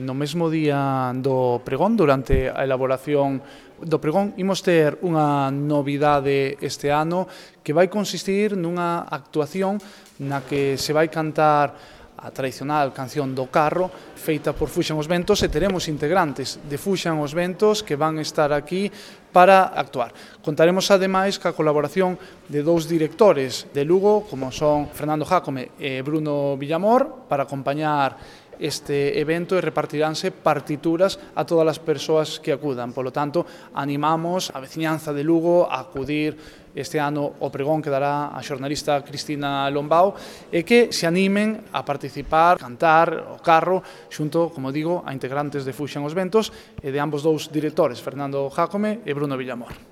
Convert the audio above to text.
No mesmo día do pregón, durante a elaboración do pregón, imos ter unha novidade este ano que vai consistir nunha actuación na que se vai cantar a tradicional canción do carro feita por Fuxan os Ventos e teremos integrantes de Fuxan os Ventos que van estar aquí para actuar. Contaremos ademais ca colaboración de dous directores de Lugo, como son Fernando Jácome e Bruno Villamor, para acompañar este evento e repartiránse partituras a todas as persoas que acudan. Polo tanto, animamos a veciñanza de Lugo a acudir este ano ao pregón que dará a xornalista Cristina Lombao e que se animen a participar, cantar o carro xunto, como digo, a integrantes de Fuxan os Ventos e de ambos dous directores, Fernando Jácome e Bruno Villamor.